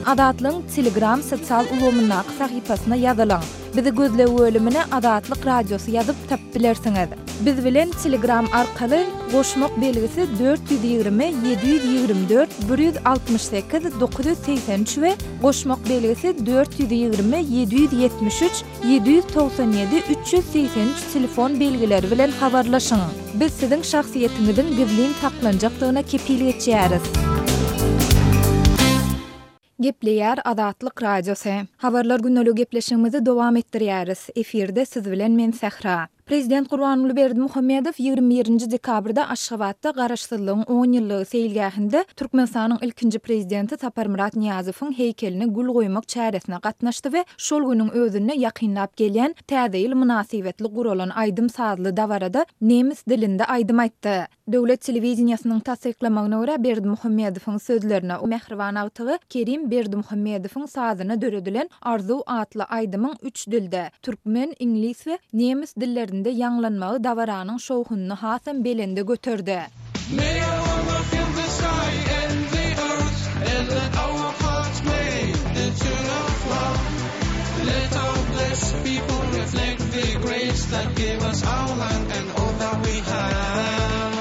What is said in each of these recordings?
Azatlygyň Telegram sosial ulgamyndaky sahypasyna ýazylyň. Bizi gözleg bölümine Azatlyk Radiosy ýazyp tapyp bilersiňiz. Biz bilen Telegram arkaly goşmak belgisi 420 724 168 983 we goşmak belgisi 420 773 797 383 telefon belgileri bilen habarlaşyň. Biz siziň şahsyýetiňiziň gizlin saklanjakdygyna kepil geçýäris. Gepleýär Azatlyk Radiosy. Habarlar gündeligi gepleşigimizi dowam etdirýäris. Efirde siz bilen men Sähra. Prezident Gurbanguly Berdimuhamedow 21-nji dekabrda Aşgabatda Garaşsyzlygyň on ýyllygy seýilgähinde Türkmenistanyň ilkinji Prezidenti Saparmyrat Nyýazowyň heýkeline gül goýmak çäresine gatnaşdy we şol günüň özünde ýakynlap gelýän Täze ýyl mynasybetli guralan aýdym-sazly dabarada nemes dilinde aýdym aýtdy. Döwlet telewideniýesiniň tassyklamagyna görä, Berdimuhamedowyň sözlerine mähriban agtygy Kerim Berdimuhamedowyň sazyna döredilen Arzuw atly aýdymyň üç dilde, türkmen, iňlis we nemes dillerinde ýaňlanmagy dabaranyň şowhunyny hasam belende göterdi. May our love fill the sky and the earth And let our hearts play the tune of love Let our blessed people reflect the grace That gave us our land and all that we have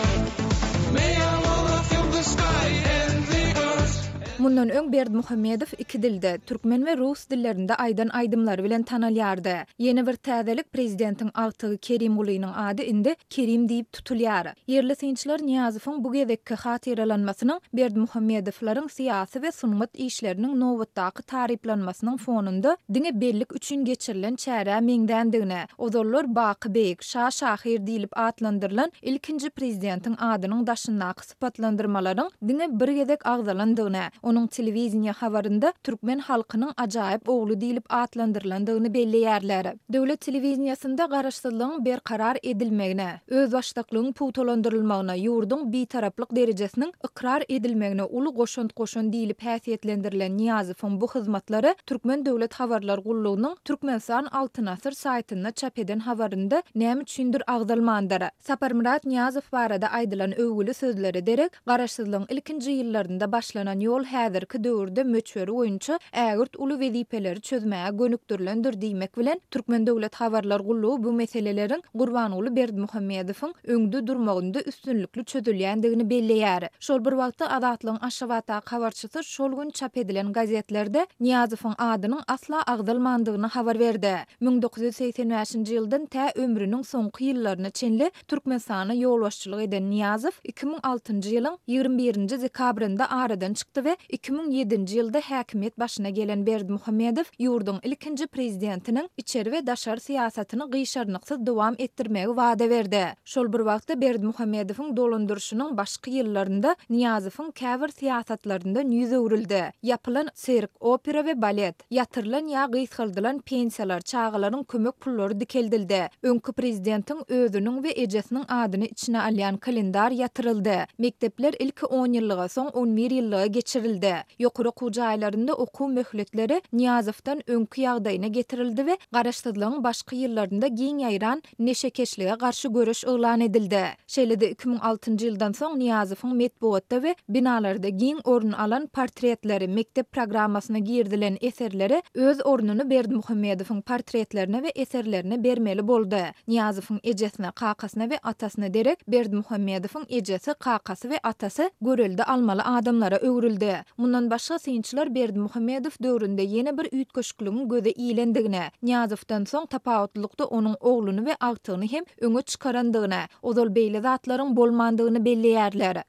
May our love fill the sky and the earth Mundan öň Berdimuhamedow iki dilde, türkmen we rus dillerinde aýdan aýdymlary bilen tanalýardy. Ýene bir täzelik, prezidentiň agtygy Kerimgulynyň ady indi Kerim diýip tutulýar. Ýerli synçylar Nyýazowyň bu gezekki hatyralanmasynyň Berdimuhamedowlaryň syýasy we sungat işleriniň nobatdaky taryplanmasynyň fonunda diňe bellik üçin geçirilen çärä meňzändigini, ozallar Baky beýik, şa şahyr diýlip atlandyrylan ilkinji prezidentiň adynyň daşyndaky sypatlandyrmalaryň diňe bir gezek agzalandygyny, onuň telewideniýe habarynda türkmen halkynyň ajaýyp ogly diýlip atlandyrylandygyny belleýärler. Döwlet telewideniýesinde garaşsyzlygyň berkarar edilmegine, özbaşdaklygyň pugtalandyrylmagyna, ýurduň bitaraplyk derejesiniň ykrar edilmegine uly goşant goşan diýlip häsiýetlendirilen Nyýazowyň bu hyzmatlary Türkmen döwlet habarlar gullugynyň Türkmenistan Altyn asyr saýtynda çap eden habarynda näme üçindir agzalmandyr. Saparmyrat Nyýazow barada aýdylan öwgüli sözlere derek, Garaşsyzlygyň ilkinji ýyllarynda başlanan ýol häzirki döwürde möçberi boýunça ägirt uly wezipeleri çözmäge gönükdirilendir diýmek bilen, Türkmen döwlet habarlar gullugy bu meseleleriň Gurbanguly Berdimuhamedowyň öňde durmagynda üstünlikli çözülýändigini belleýär. Şol bir wagtda, Azatlygyň Aşgabatdaky habarçysy şol gün çap edilen gazetlerde Nyýazowyň adynyň asla agzalmandygyny habar berdi. 1985-nji ýyldan tä ömrüniň soňky ýyllaryna çenli Türkmenistana ýolbaşçylyk eden Nyýazow 2006-njy ýylyň 21-nji dekabrynda aradan çykdy we 2007-nji ýylda häkimiýet başyna gelen Berdimuhamedow ýurduň ilkinji prezidentiniň içeri we daşary syýasatyny gyşarnyksyz dowam etdirmegi wada berdi. Şol bir wagtda Berdimuhamedowyň dolandyryşynyň başky ýyllarynda Nyýazowyň käbir syýasatlaryndan ýüz öwrüldi. Ýapylan sirk, opera we balet, Ýatyrylan ýa gysgaldylan pensiýalar, çagalaryň kömek pullary dikeldildi. Öňki prezidentiň özüniň we ejesiniň adyny içine alýan kalendar ýatyryldy. Mekdepler ilki on ýyllyga, soň on bir ýyllyga geçirildi. Ýokary okuw jaýlarynda okuw möhletleri Nyýazowdan öňki ýagdaýyna getirildi we garaşsyzlygyň başky ýyllarynda giň ýaýran neşekeşlige garşy göreş yglan edildi. Şeýle-de 2006-njy ýyldan soň Nyýazowyň metbugatda we binalarda giň orun alan portretleri, mekdep programmasyna girizilen eserleri öz ornuny Berdimuhamedowyň portretlerine we eserlerine bermeli boldy. Nyýazowyň ejesine, kakasyna we atasyna derek Berdimuhamedowyň ejesi, kakasy we atasy görelde almaly adamlara öwrüldi. Mundan başga synçylar Berdimuhamedow döwründe ýene bir üýtgeşikligiň göze ilendigini, Nyýazowdan soň tapawutlylykda onuň ogluny we agtygyny hem öňe çykarandygyny, ozal beýle zatlaryň bolmandygyny belleýärler.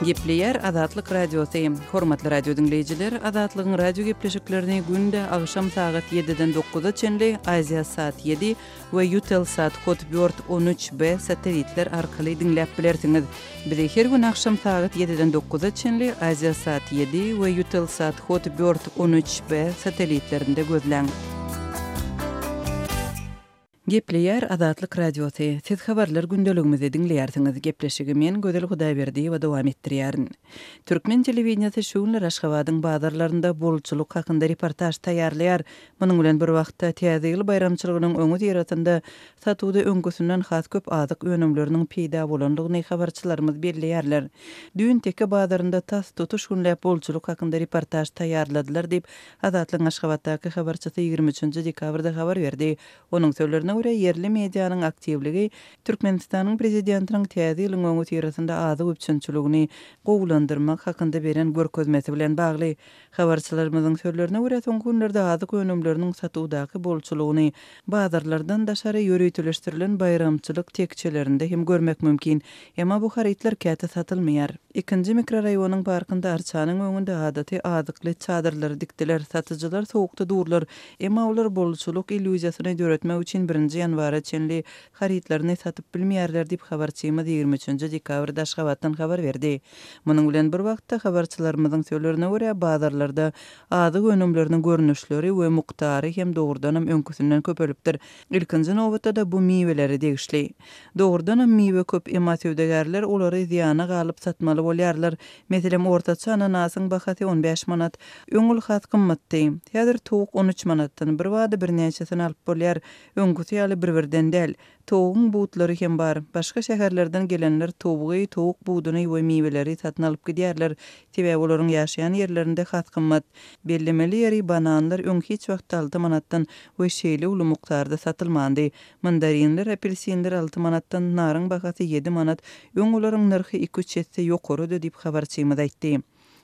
Gepleýär Azatlyk Radiosy. Hormatly radio diňleýjiler, Azatlygyň radio gepleşiklerini günde agşam sagat ýediden dokuza çenli Aziasat ýedi we Eutelsat Hotbird 13 B satelitler arkaly diňläp bilersiňiz. Bizi her gün agşam sagat ýediden dokuza çenli Aziasat ýedi we Eutelsat Hotbird 13 B satelitlerinde gözläň. Gepleýär Azatlyk Radiosy, Siz habarlar gündeligimizi diňleýärsiňiz. Gepleşigi men, Gözel Hudaýberdiýewa dowam etdirýärin. Türkmen telewideniýesi şu günler Aşgabadyň bazarlarynda bolçulyk hakynda reportaž taýýarlaýar. Munuň bilen bir wagtda, Täze ýyl baýramçylygynyň öňüsyrasynda satuwda öňküsinden has köp azyk önümleriniň peýda bolandygyny habarçylarymyz belleýärler. Düýn Teke bazarynda tas tutuş günläp bolçulyk hakynda reportaž taýýarladylar diýip, Azatlygyň Aşgabatdaky habarçysy 23 dekabrda habar berdi. Onuň sözlerine görä, ýerli medianyň aktiwligi Türkmenistanyň Prezidentiniň Täze ýylyň öňüsyrasynda azyk üpjünçiligini gowulandyrmak hakynda beren görkezmesi bilen bagly. Habarçylarymyzyň sözlerine görä, soňky günlerde azyk önümleriniň satuwdaky bolçulygyny bazarlardan daşary ýöriteleşdirilen baýramçylyk tekjelerinde hem görmek mümkin. Emma bu harytlar käte satylmaýar. Ikinji mikroraýonyň parkynda arçanyň öňünde adaty azykly çadyrlary dikdiler. Satyjylar sowukda durlar. Emma olar bolçulyk illýuziýasyny döretmek üçin birinji ýanwara çenli harytlaryny satyp bilmeýärler diýip, habarçymyz 23 dekabrda Aşgabatdan habar berdi. Munuň bilen bir wagtda, habarçylarymyzyň sözlerine görä, bazarlarda azyk önümleriniň görnüşleri we mukdary hem dogrudanam öňküsinden köpelipdir. Ilkinji nobatda-da bu miwelere degişli. Dogrudanam miwe köp, emma söwdagärler olary zyýana galyp satmaly bolýarlar. Meselem, ortaça ananasyň bahasy on bäş manat. Öň ol has gymmatdy. Häzir towuk on üç manatdan, birbada birnäçesini alyp bolýar. Öňküsi ýaly bir-birden däl. Towugyň butlary hem bar. Başga şäherlerden gelenler towugy, towuk buduny we miweleri satyn alyp gidýärler. Sebäbi olaryň ýaşaýan ýerlerinde has gymmat. Bellemeli ýeri, bananlar öň hiç wagtda alty manatdan we şeýle uly mukdarda satylmandy. Mandarinler, apelsinler alty manatdan, naryň bahasy ýedi manat, öň olaryň nyrhy iki-üç esse ýokarydy diýip, habarçymyz aýtdy.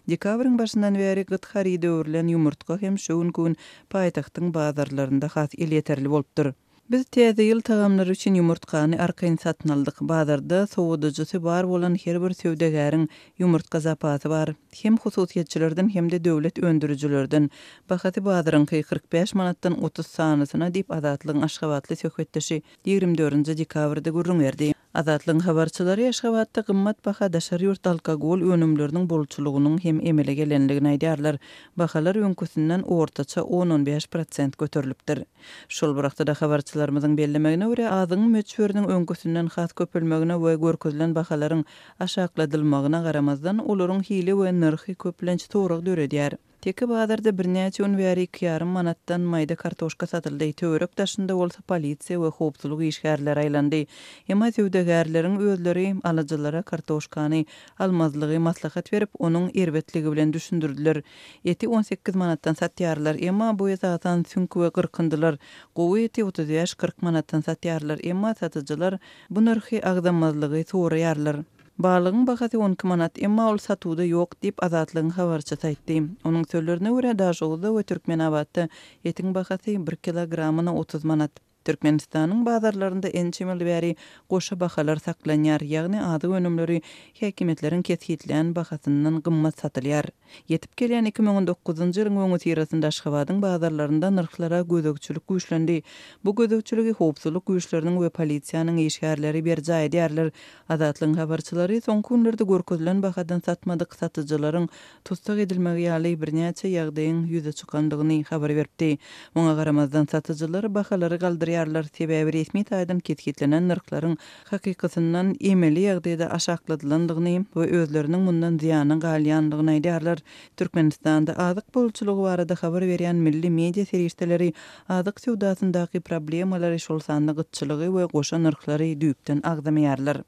Dekabryň başyndan bäri gyt haryda öwrülen ýumurtga hem şu günki gün paýtagtyň bazarlarynda has elýeterli bolupdyr. Biz Täze ýyl tagamlary üçin ýumurtgany arkaýyn satyn aldyk. Bazarda sowadyjysy bar bolan her bir söwdagäriň ýumurtga zapasy bar. Hem hususyýetçilerden hem-de döwlet öndürijilerden. Bahasy bazaryňky 45 manatdan 30 sanysyna diýip, Azatlygyň aşgabatly söhbetdeşi 24 dekabrda gürrüň berdi. Azatlygyň habarçylary Aşgabatda gymmat baha daşary ýurt alkogol önümleriniň bolçulygynyň hem emele gelendigini aýdýarlar. Bahalar öňküsinden ortaça on-on bäş prosent göterilipdir. Şol bir wagtda-da habarçylarymyzyň bellemegine görä, azygyň möçberiniň öňküsinden has köpelmegine we görkezilen bahalaryň aşakladylmagyna garamazdan, olaryň hili we nyrhy köplenç sorag döredýär. Teke bazarda birnäçe gün bäri iki ýarym manatdan maýda kartoşka satyldy, töwerek daşynda bolsa polisiýa we howpsuzlyk işgärleri aýlandy. Emma söwdagärleriň özleri alyjylara kartoşkany almazlygy maslahat berip, onuň erbetligi bilen düşündirdiler. Eti on sekiz manatdan satýarlar, emma bu esasan süňk we gyrkyndylar. Gowy eti 35-40 manatdan satýarlar, emma satyjylar bu nyrhy agzamazlygy soraýarlar. Balygyň bahasy on iki manat, emma ol satuwda ýok diýip, Azatlygyň habarçysy aýtdy. Onuň sözlerine görä, Daşoguzda we Türkmenabatda etiň bahasy bir kilogramyna 30 manat. Türkmenistanyň bazarlarynda ençeme ýyl bäri goşa bahalar saklanýar, ýagny azyk önümleri häkimiýetleriň kesgitlän bahasyndan gymmat satylýar. Ýetip gelýän 2019-njy ýylyň öňüsyrasynda Aşgabadyň bazarlarynda nyrhlara gözegçilik güýçlendi. Bu gözegçiligi howpsuzlyk güýçleriniň we polisiýanyň işgärleri berjaý edýärler. Azatlygyň habarçylary soňky günlerde görkezilen bahadan satmadyk satyjylaryň tussag edilmegi ýaly birnäçe ýagdaýyň ýüze çykandygyny habar beripdi. Muňa garamazdan, satyjylar bahalary galdyrýarlar, sebäbi resmi taýdan kesgitlenen nyrhlaryň hakykysyndan emeli ýagdaýda aşakladylandygyny we özleriniň mundan zyýana galýandygyny aýdýarlar. Türkmenistanda azyk bolçulygy barada habar berýän milli media serişdeleri azyk söwdasyndaky problemalary, şol sanda gytçylygy we goşa nyrhlary düýpden agzamaýarlar.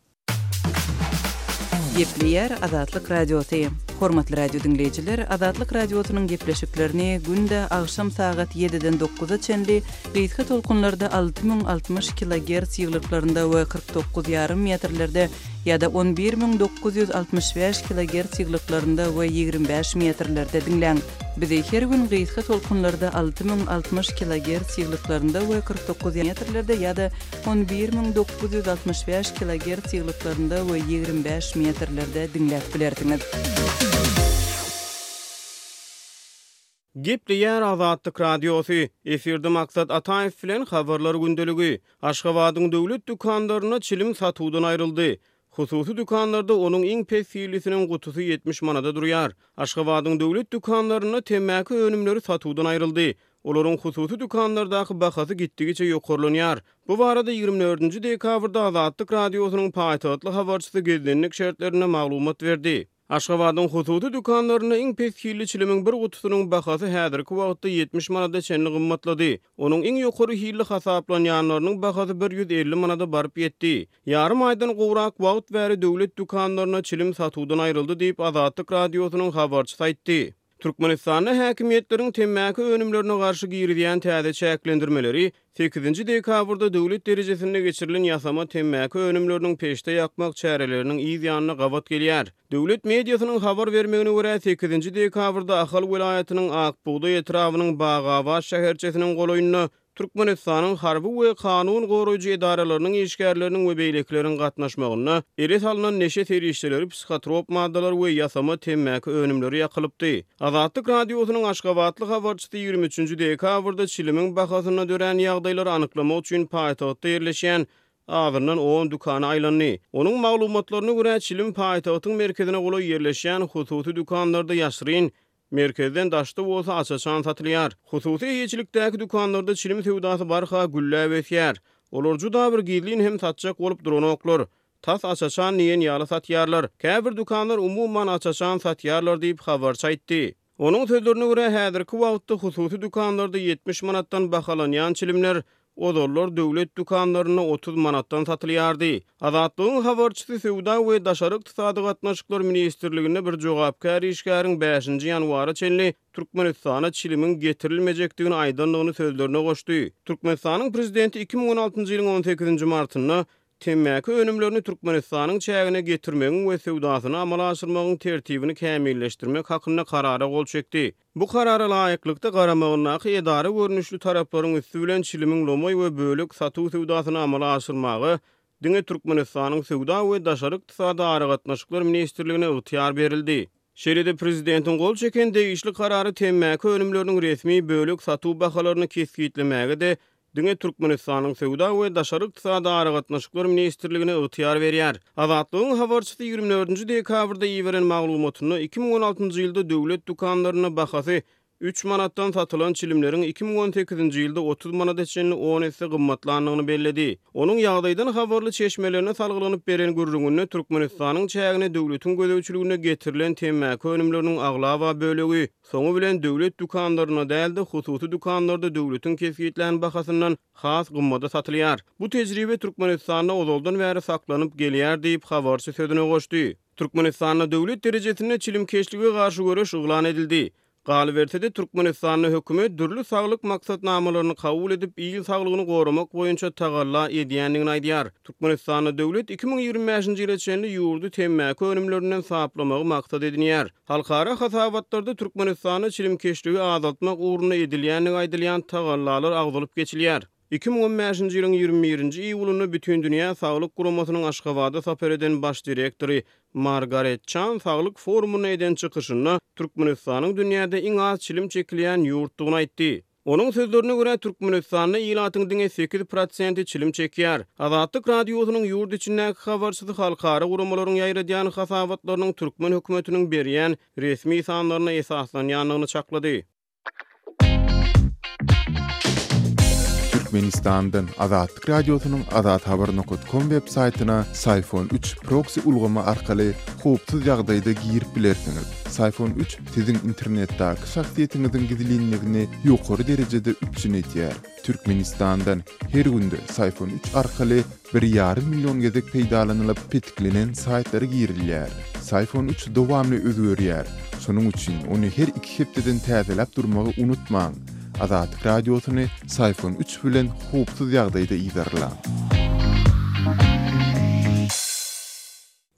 Gepleýär Azatlyk Radiosy. Hormatly radio diňleýjiler, Azatlyk Radiosynyň gepleşiklerini günde agşam sagat ýediden dokuza çenli gysga tolkunlarda 6060 kilogerts ýyglyklarynda we 49 ýarym metrlerde ýa-da 11965 kilogerts ýyglyklarynda we 25 metrlerde diňläň. Bizi her gün gysga tolkunlarda 6060 kilogerts ýyglyklarynda we 49 metrlerde ýa-da 11965 kilogerts ýyglyklarynda we 25 metrlerde diňläp bilersiňiz. Gepleýär Azatlyk Radiosy, Efirde Maksat Ataýew bilen Habarlar gündeligi. Aşgabadyň döwlet dükanlarynda çilim satuwdan aýryldy. Hususy dükanlarda onuň iň pes hillisiniň gutusy 70 manada durýar. Aşgabadyň döwlet dükanlarynda temmäki önümleri satuwdan aýryldy. Olaryň hususy dükanlardaky bahasy gitdigiçe ýokarlanýar. Bu barada 24-nji dekabrda Azatlyk Radiosynyň paýtagtly habarçysy gizlinlik şertlerinde maglumat berdi. Aşgabadyň hususy dükanlarynda iň pes hilli çilimiň bir gutusynyň bahasy häzirki wagtda 70 manada çenli gymmatlady. Onuň iň ýokary hilli hasaplanýanlarynyň bahasy 150 manada baryp ýetdi. Ýarym aýdan gowrak wagt bäri döwlet dükanlarynda çilim satuwdan aýryldy diýip, Azatlyk Radiosynyň habarçysy aýtdy. Türkmenistanda häkimiýetleriň temmäki önümlerine garşy girizýän täze çäklendirmeleri sekizinji dekabrda döwlet derejesinde geçirilen ýasama temmäki önümleriniň peçde ýakmak çäreleriniň yz ýanyna gabat gelýär. Döwlet mediasynyň habar bermegine görä, sekizinji dekabrda Ahal welaýatynyň Ak bugdaý etrabynyň Bagabat şäherçesiniň golaýynda Türkmenistanyň harby we kanun goraýjy edaralarynyň işgärleriniň we beýlekileriň gatnaşmagynda ele salnan neşe serişdeleri, psihotrop maddalar we ýasama temmäki önümleri ýakylypdy. Azatlyk Radiosynyň aşgabatly habarçysy 23-nji dekabrda çilimiň bahasynda dörän ýagdaýlary anyklamak üçin paýtagtda ýerleşýän azyndan on dükana aýlandy. Onuň maglumatlaryna görä, çilim paýtagtyň merkezine golaý ýerleşýän hususy dükanlarda ýaşyryn Merkezden daşda bolsa aç-açan satylýar. Hususy eýeçilikdäki dükanlarda çilim söwdasy barha gülläp ösýär. Olar juda bir gizlin hem satjak bolup duranoklar. Tas aç-açan diýen ýaly satýarlar. Käbir dükanlar umuman aç-açan satýarlar diýip, habarçy aýtdy. Onuň sözlerine görä, häzirki wagtda hususy dükanlarda 70 manatdan bahalanýan çilimler Ozallar döwlet dükanlarynda 30 manatdan satylýardy. Azatlygyň habarçysy Söwda we daşary ykdysady gatnaşyklar ministrliginde bir jogapkär işgäriň bäşinji ýanwara çenli Türkmenistana çilimiň getirilmejekdigini aýdandygyny sözlerine goşdy. Türkmenistanyň prezidenti 2016-njy ýylyň on sekizinji martynda Temmäki önümlerini Türkmenistanyň çägine getirmegiň we söwdasyny amala aşyrmagyň tertibini kämilleşdirmek hakynda Karara gol çekdi. Bu Karara laýyklykda, garamagyndaky edara görnüşli taraplaryň üsti bilen çilimiň lomaý we bölek satuw söwdasyny amala aşyrmaga diňe Türkmenistanyň Söwda we daşary ykdysady aragatnaşyklar ministrligine ygtyýar berildi. Şeýle-de prezidentiň gol çeken degişli Karary temmäki önümleriniň resmi bölek satuw bahalaryny kesgitlemäge-de diňe Türkmenistanyň Söwda we daşary ykdysady aragatnaşyklar ministrligine ygtyýar berýär. Azatlygyň habarçysy 24-nji dekabrda iberen maglumatynda 2016-njy ýylda döwlet dükanlarynda bahasy üç manatdan satylan çilimleriň 2018-nji ýylda 30 manada çenli on esse gymmatlandygyny belledi. Onuň ýagdaýdan habarly çeşmelerine salgylanyp beren gürrüňinde Türkmenistanyň çägine döwletiň gözegçiliginde getirilen temmäki önümleriniň aglaba bölegi Soňy bilen döwlet dükanlarynda däl-de, hususy dükanlarda döwletiň kesgitlän bahasyndan has gymmada satylýar. Bu tejribe Türkmenistanda ozaldan bäri saklanyp gelýär diýip, habarçy sözüne goşdy. Türkmenistanda döwlet derejesinde çilimkeşlige garşy göreş yglan edildi. Galyberse-de, Türkmenistanda hökümet dürli saglyk maksatnamalaryny kabul edip, il saglygyny goramak boýunça tagalla edýändigini aýdýar. Türkmenistanda döwlet 2025-nji ýyla çenli ýurdy temmäki önümlerinden saplamagy maksat edinýär. Halkara hasabatlarda Türkmenistanda çilimkeşligi azaltmak ugrunda edilýändigi aýdylýan tagallalar agzalyp geçilýär. 2015-nji ýylyň 21-nji iýulynda Bütindünýä Saglyk Guramasynyň Aşgabada sapar eden baş direktory Margaret Çan saglyk forumynda eden çykyşynda Türkmenistanyň dünýäde iň az çilim çekilýän ýurtdugyny aýtdy. Onuň sözlerine görä, Türkmenistanda ilatyň diňe sekiz prosenti çilim çekýär. Azatlyk Radiosynyň ýurt içindäki habarçysy halkara guramalaryň ýaýradýan hasabatlarynyň türkmen hökümetiniň berýän resmi sanlaryna esaslanýandygyny çaklady. Türkmenistandan Azatlyk Radiosynyň azathabar nokat kom web saýtyna Syfon üç proksi ulgamy arkaly howpsuz ýagdaýda girip bilersiňiz. Syfon üç Siziň internetdäki şahsyýetiňiziň gizlinligini ýokary derejede üpjün edýär. Türkmenistandan her günde Syfon üç arkaly bir ýarym million gezek peýdalanylyp petiklenen saýtlara girilýär. Syfon üç dowamly özgerýär. Şonuň üçin ony her iki hepdeden täzeläp durmagy unutmaň. Azatlyk Radiosyny Syfon üç bilen howpsuz ýagdaýda yzarlaň.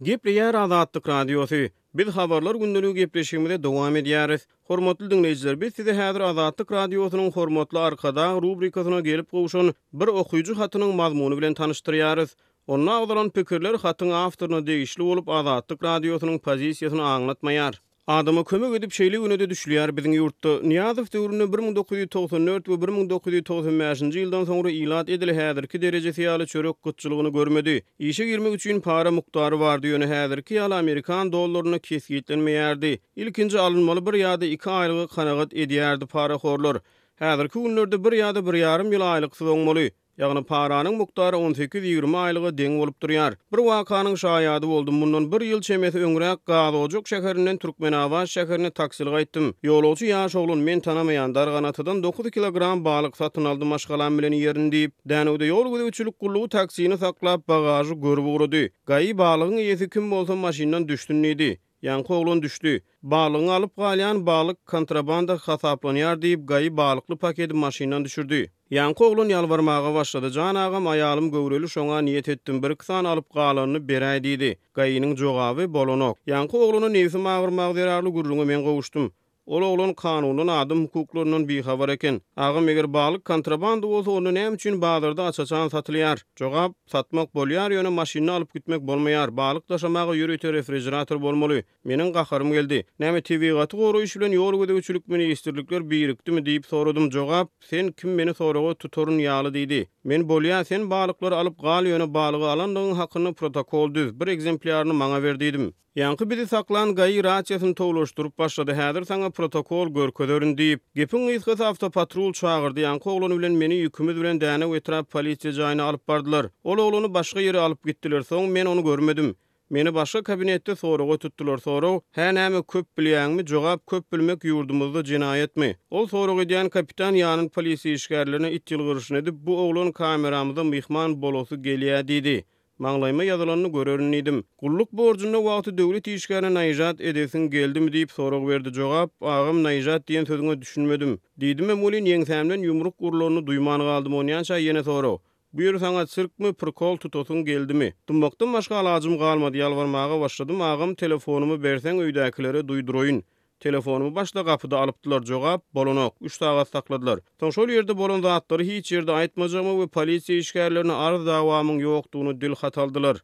Gepleýär Azatlyk Radiosy. Biz Habarlar gündeligi gepleşigimize dowam edýäris. Hormatly diňleýjiler, biz size häzir Azatlyk Radiosynyň Hormatly Arkadag rubrikasyna gelip gowşan bir okyjy hatynyň mazmuny bilen tanyşdyrýarys. Onda agzalan pikirler hatyň awtoryna degişli bolup, Azatlyk Radiosynyň pozisiýasyny aňlatmaýar. Adama kömek edip şeýle günede düşülýär biziň ýurtda. Nyýazow döwründe 1994 we 1995-nji ýyldan soňra ilat edil häzirki derejesi ýaly çörek gytçylygyny görmedi. Işe girmek üçin para mukdary bardy ýöne häzirki ýaly amerikan dollarynda kesgitlenmeýärdi. Ilkinji alynmaly bir ýa-da iki aýlyga kanagat edýärdi parahorlar. Häzirki günlerde bir ýa-da bir ýarym ýyl aýlyksyz oňmaly. Ýagny paranyň mukdary on sekiz-ýigrimi aýlyga deň bolup durýar. Bir wakanyň şaýady boldum. Mundan bir ýyl çemesi öňräk Gazojak şäherinden Türkmenabat şäherine taksili gaýtdym. Ýolagçy ýaş oglan, men tanamaýan, Darganatadan dokuz kilogram balyk satyn aldy maşgalam bilen iýerin diýip. Dänewde ýol gözegçilik gullugy taksini saklap, bagažy görüp ugrady. Gai balygyň eýesi kim bolsa maşyndan düşsün diýdi. Ýaňky oglan düşdi. Balygyňy alyp galýan balyk kontrabanda hasaplanýar diýip, gai balykly pakedi maşyndan düşürdi. Ýaňky oglan ýalbarmaga başlady, Jan agam, aýalym göwreli şoňa niýet etdim, birki sany alyp galanyny beräý diýdi. Gai-niň jogaby, Bolanok. Ýaňky oglana nebsim agyrmagy zerarly gürrüňe men gowuşdym. Ol oglan kanundan, adam hukuklaryndan bihabar eken. Agam, eger balyk kontrabanda bolsa, onda näme üçin bazarda aç-açan satylýar? Jogap, Satmak bolýar, ýöne maşynda alyp gitmek bolmaýar. Balyk daşamaga ýörite refrižerator bolmaly. Meniň gaharym geldi. Näme, tebigaty goraýyş bilen ýol gözegçilik ministrlikler birikdimi diýip soradym. Jogap, Sen kim meni soraga tutaryn ýaly diýdi. Men bolýa, sen balyklary alyp gal, ýöne balygy alandygyň hakynda protokol düz, bir egzemplýaryny maňa ber diýdim. Ýaňky bizi saklan GAI rasiýasyny towlaşdyryp başlady, häzir saňa protokol görkezerin diýip. Gepiň gysgasy awtopatrul çagyrdy, ýaňky oglan bilen meni ýükümiz bilen Dänew etrap polisiýa jaýyna alyp bardylar. Ol oglany başga ýere alyp gitdiler, soň men ony görmedim. Meni başga kabinetde soraga tutdular, sorag, Hä näme köp bilýäňmi, jogap, köp bilmek ýurdumyzda jenaýatmy? Ol sorag edýän kapitan ýanyn polisiýa işgärlerine it ýylgyryşyny edip, bu oglan kameramyza myhman bolasy gelýä diýdi. Maňlaýyma ýazylanyny görerin diýdim. Gulluk borjunda wagty döwlet işgärine naýžat edesiň geldimi diýip sorag berdi. Jogap, Agam naýžat diýen sözüňe düşünmedim. Diýdimem welin ýeňsämden ýumruk urlanyny duýman galdym. Onýança ýene sorag. Bu ýer saňa sirkmi, prikol tutasyň geldimi? Dymmakdan başga alajym galmady. Ýalbarmaga başladym, Agam telefonymy berseň öýdäkilere duýduraýyn. Telefonymy başda gapyda alypdylar, jogap, bolanok, üç sagat sakladylar. Soň şol ýerde bolan zatlary hiç ýerde aýtmajagymy we polisiýa işgärlerine arz-dawamyň ýokdugyny dil hat aldylar.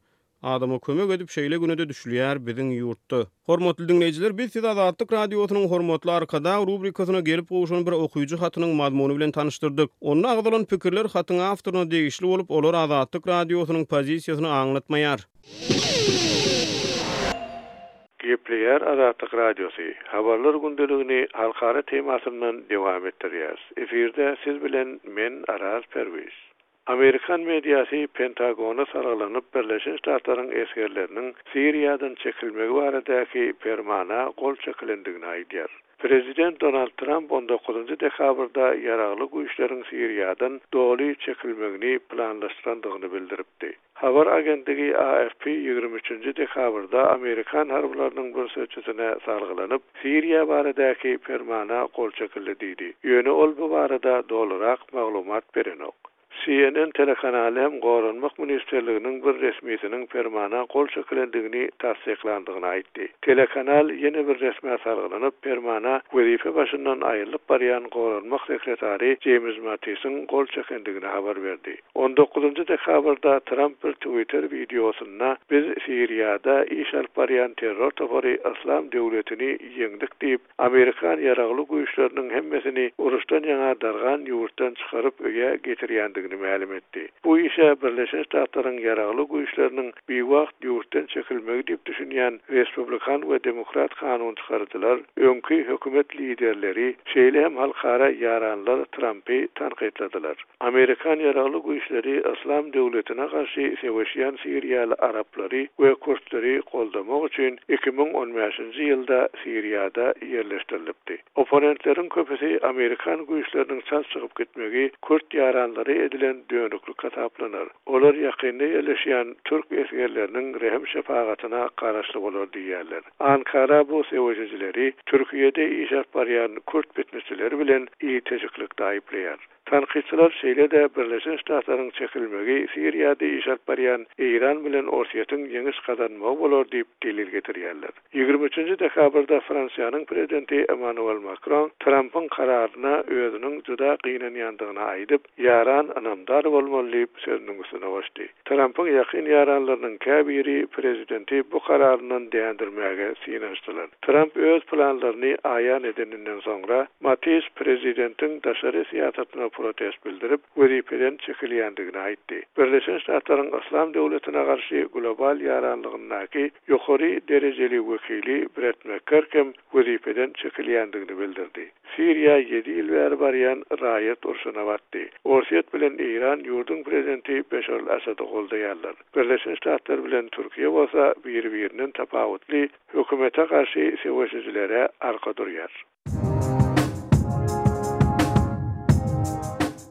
Adama kömek edip şeýle güne-de düşülýär biziň ýurtda. Hormatly diňleýjiler, biz sizi Azatlyk Radiosynyň Hormatly Arkadag rubrikasyna gelip gowşan bir okyjy hatynyň mazmuny bilen tanyşdyrdyk. Onda agzalan pikirler hatyň awtoryna degişli bolup, olar Azatlyk Radiosynyň pozisiýasyny aňlatmaýar. Gepleýär Azatlyk Radiosy, Habarlar gündeligini halkara temasyndan dowam etdirýäris. Efirde siz bilen men Araz Perwiz. Amerikan mediasy Pentagona salgylanyp Birleşen Ştatlaryň esgerleriniň Siriýadan çekilmegi baradaky permana gol çekilendigini aýdýar. Prezident Donald Tramp on dokuzynjy dekabrda ýaragly güýçleriň Siriýadan doly çekilmegini planlaşdyrandygyny bildiripdi. Habar agentligi AFP ýigrimi üçünji dekabrda amerikan harbylarynyň bir sözçüsine salgylanyp, Siriýa baradaky permana gol çekildi diýdi. Ýöne ol bu barada dolurak maglumat berenok. CNN telekanaly hem Goranmak ministrliginiň bir resmisiniň permana gol çekilendigini tassyklandygyny aýtdy. Telekanal ýene bir resmä salgylanyp, permana wezipe başyndan aýrylyp barýan Goranmak sekretary Jeýms Mattisiň gol çekendigini habar berdi. On dokuzynjy dekabrda Tramp bir Twitter wideosynda Biz Siriýada iş alyp barýan terror topary Yslam döwletini ýeňdik diýip, amerikan ýaragly güýçleriniň hemmesini uruşdan ýaňa dargan ýurtdan çykaryp öýe getirýändigini mälim etdi. Bu işe Birleşen Ştatlaryň ýaragly güýçleriniň biwagt ýurtdan çekilmegi diýip düşünýän respublikan we demokrat kanunçykaryjylar, öňki hökümet liderleri, şeýle hem halkara ýaranlar Trampy tankytladylar. Amerikan ýaragly güýçleri Yslam döwletine garşy söweşýän siriýaly araplary we kürtleri goldamak üçin 2015-nji ýylda Siriýada ýerleşdirilipdi. Opponentleriň köpüsi amerikan güýçleriniň çalt çykyp gitmegi kürt ýaranlara edilen dönüklik hasaplanar, olar ýakynda ýerleşýän türk esgerleriniň rehim-şepagatyna garaşly bolar diýýärler. Ankara bu söweşijileri Türkiýede iş alyp barýan kürt pitneçileri bilen ilteşiklikde aýyplaýar. Tankytçylar şeýle-de Birleşen Ştatlaryň çekilmegi Siriýada iş alyp barýan Eýran bilen Orsýetiň ýeňiş gazanmagy bolar diýip delil getirýärler. Ýigrimi üçünji dekabrda Fransiýanyň prezidenti Emmanuel Makron Trampyň kararyna özüniň juda gynanýandygyny aýdyp, Ýaran ynamdar bolmaly diýip sözüniň üstüne goşdy. Trampyň ýakyn ýaranlarynyň käbiri prezidenti bu kararyndan dändirmäge synanyşdylar. Tramp öz planlaryny aýan edeninden soňra, Mattis prezidentiň daşary syýasatyna. protest bildirip, wezipeden çekilýändigini aýtdy. Birleşen Ştatlaryň Yslam döwletine garşy global ýaranlygyndaky ýokary derejeli wekili Bret Mekgerk hem wezipeden çekilýändigini bildirdi. Siriýa ýedi ýyl bäri barýan raýat urşuna batdy. Orsýet bilen Eýran ýurduň prezidenti Beşar al-Assady goldaýarlar. Birleşen Ştatlar bilen Türkiýe bolsa biri-birinden tapawutly hökümete garşy söweşijilere arka durýar.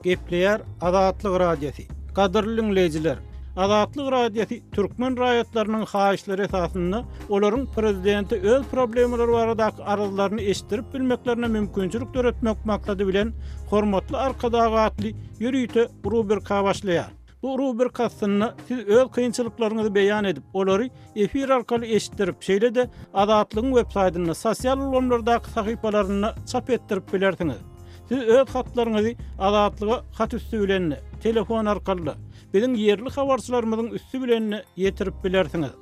Gepleýär Azatlyk Radiosy. Gadyrly diňleýjiler! Azatlyk Radiosy türkmen raýatlarynyň haýyşlary esasynda olaryň prezidente öz problemalary baradaky arzlaryny eşitdirip bilmeklerine mümkinçilik döretmek maksady bilen Hormatly Arkadag atly ýörite rubrika başlaýar. Bu rubrika astynda siz öz kynçylyklaryňyzy beýan edip, olary efir arkaly eşitdirip, şeýle-de Azatlygyň websaýtynda, sosial ulgamlardaky sahypalarynda çap etdirip bilersiňiz. Siz öz hatlaryňyzy Azatlyga hat üsti bilen-de, telefon arkaly-da, biziň ýerli habarçylarymyzyň üsti bilen-de ýetirip bilersiňiz.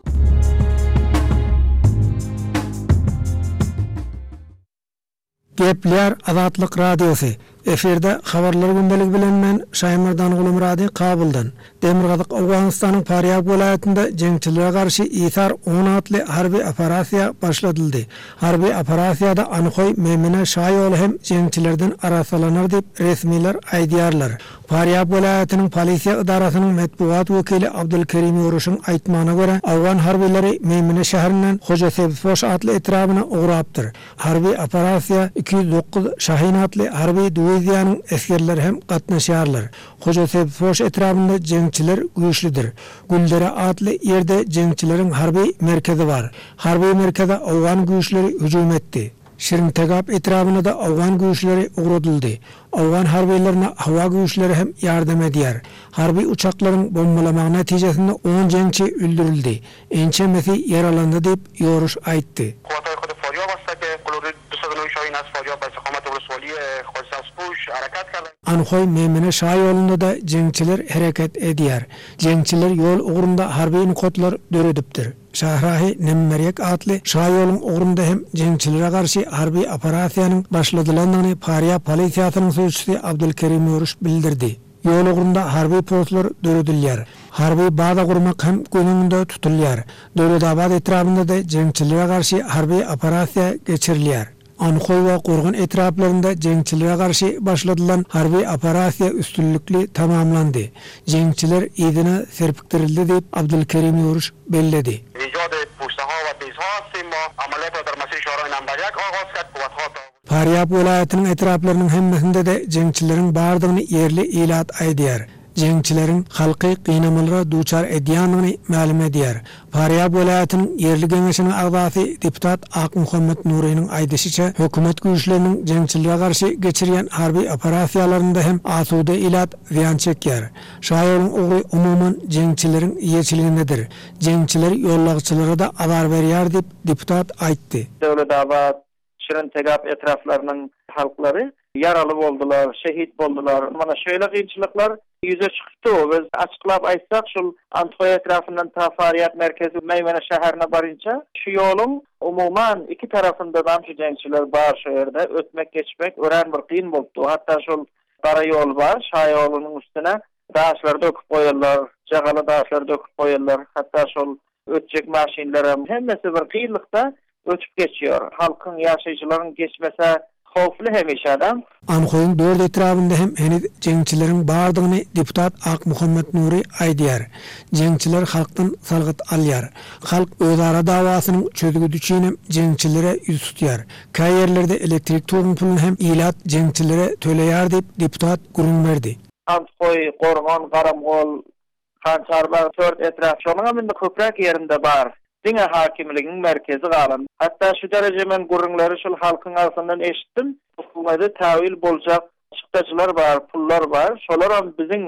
Gepleýär Azatlyk Radiosy, Efirde Habarlar gündeligi bilen men Şaýmerdan Gulumyrady Kabuldan. Demirgazyk Owganystanyň Farýab welaýatynda jeňçilere garşy Isar on atly harby operasiýa başladyldy. Harby operasiýada Anhoý, Memine şaýoly hem jeňçilerden arassalanar diýip resmiler aýdýarlar. Farýab welaýatynyň polisiýa edarasynyň metbugat wekili Abdulkerim Ýoruşyň aýtmagyna görä, owgan harbylary Memine şäherinden Hojasebzpoş atly etrabyna ugrapdyr. Harby operasiýa 209 Şahin atly harby diwiziýanyň esgerleri hem gatnaşýarlar. Hojasebzpoş etrabynda jeňçiler güýçlüdir. Güldere atly ýerde jeňçileriň harby merkezi bar. Harby merkeze owgan güýçleri hüjüm etdi. Şirintegap etrabyna-da owgan güýçleri ugradyldy. Owgan harbylaryna howa güýçleri hem ýardam edýär. Harby uçaklaryň bombalamagy netijesinde on jeňçi öldürildi, ençemesi ýaralandy diýip, Ýoruş aýtdy. Anhoý, Memine şaýolunda-da jeňçiler hereket edýär. Jeňçiler ýol ugrunda harby nokatlar döredipdir. Şahrahy Nemmerýek atly şaýoluň ugrunda hem jeňçilere garşy harby operasiýanyň başladylandygyny Farýab polisiýasynyň sözçüsi Abdulkerim Ýoruş bildirdi. Ýol ugrunda harby postlar döredilýär. Harby baza gurmak hem göz öňünde tutulýar. Döwletabat etrabynda-da jeňçilere garşy harby operasiýa geçirilýär. Anhoý we Gorgan etraplarynda jeňçilere garşy başladylan harby operasiýa üstünlikli tamamlandy. Jeňçiler yzyna serpikdirildi diýip, Abdulkerim Ýoruş belledi. Farýab welaýatynyň etraplarynyň hemmesinde-de jeňçileriň bardygyny ýerli ilat aýdýar. Jeňçileriň halky gynamalara duçar edýändigini mälim edýär. Farýab welaýatynyň ýerli geňeşiniň agzasy deputat Akmuhammet Nurynyň aýdyşyça, hökümet güýçleriniň jeňçilere garşy geçirýän harby operasiýalarynda hem asuda ilat zyýan çekýär. Şaýoluň ugry umuman jeňçileriň eýeçiligindedir. Jeňçiler ýollagçylara-da azar berýär diýip, deputat aýtdy. Döwletabat, Şirintegap etraplarynyň halklary ýaraly boldular, şehit boldular. Mana şeýle kynçylyklar ýüze çykypdy. Biz açyklap aýtsak, şul Anthoý etrapyndan ta Farýab merkezi Meýmene şäherine barynça şu ýoluň umuman iki tarapyndadam şu jeňçiler bar şo ýerde. Ötmek geçmek örän bir kyn bolupdy. Hatda şol gara ýol bar, şaýolunyň üstüne daşlary döküp goýarlar, jagaly daşlary döküp goýarlar. Hatda şol Ötjek maşynlaram hemmesi bir kynlykda ötüp geçýär. Halkyň, ýaşaýjylaryň geçmese howply hemişe-de. Anhoýyň dört etrabynda hem heniz jeňçileriň bardygyny deputat Akmuhammet Nury aýdýar. Jeňçiler halkdan salgyt alýar. Halk özara dawasynyň çözgüdi üçinem jeňçilere ýüz tutýar. Käýerlerde elektrik toguň puluny hem ilat jeňçilere töleýär diýip, deputat gürrüň berdi. Andhoý, Gorgan, Garamgol, Hançarbag tört etrap şonuňam indi köpräk ýerinde bar. Diňe hakimligiň merkezi galan. Hatda şu dereje men gürrüňleri şul halkyň agzyndan eşitdim. Hökümede tawil boljak çykdajylar bar, pullar bar. Şolaram biziň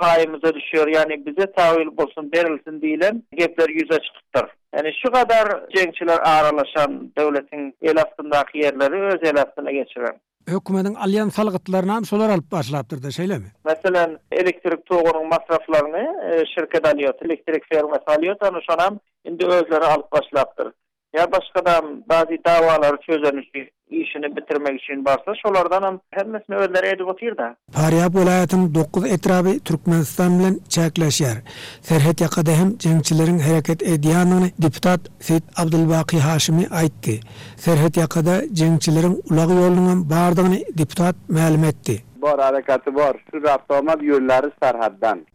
paýymyza düşýär, ýagny bize tawil bolsun, berilsin diýlen gepler ýüze çykypdyr. Ýagny şu gadar jeňçiler aralaşan döwletiň el astyndaky ýerleri öz el astyna geçiren. Hökümediň alýan salgytlarynam şolar alyp başlapdyrda, şeýlemi? Meselem, elektrik togunyň masraflaryny şirket alýar, elektrik fermasy alýar, ana şonam indi özleri alyp başlapdyr. Ýa başgadam bazy dawalary çözen üçin. işini bitirmek üçin barsa, şolardanam hemmesini özleri edip otyr-da. Farýab welaýatynyň dokuz etraby Türkmenistan bilen çäkleşýär. Serhet ýakada hem jeňçileriň hereket edýändigini deputat Seýit Abdulbaky Haşimi aýtdy. Serhet ýakada jeňçileriň ulag ýolunyňam bardygyny deputat mälim etdi. Bar hareketi bar. Şu ravtomat ýollary serhetden.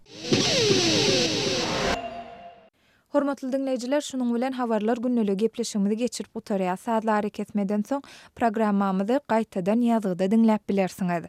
Hormatly diňleýjiler, şunuň bilen Habarlar gündeligi gepleşigimizi geçirip gutarýas. Sazly arakesmeden soň programmamyzy gaýtadan ýazgyda diňläp bilersiňiz.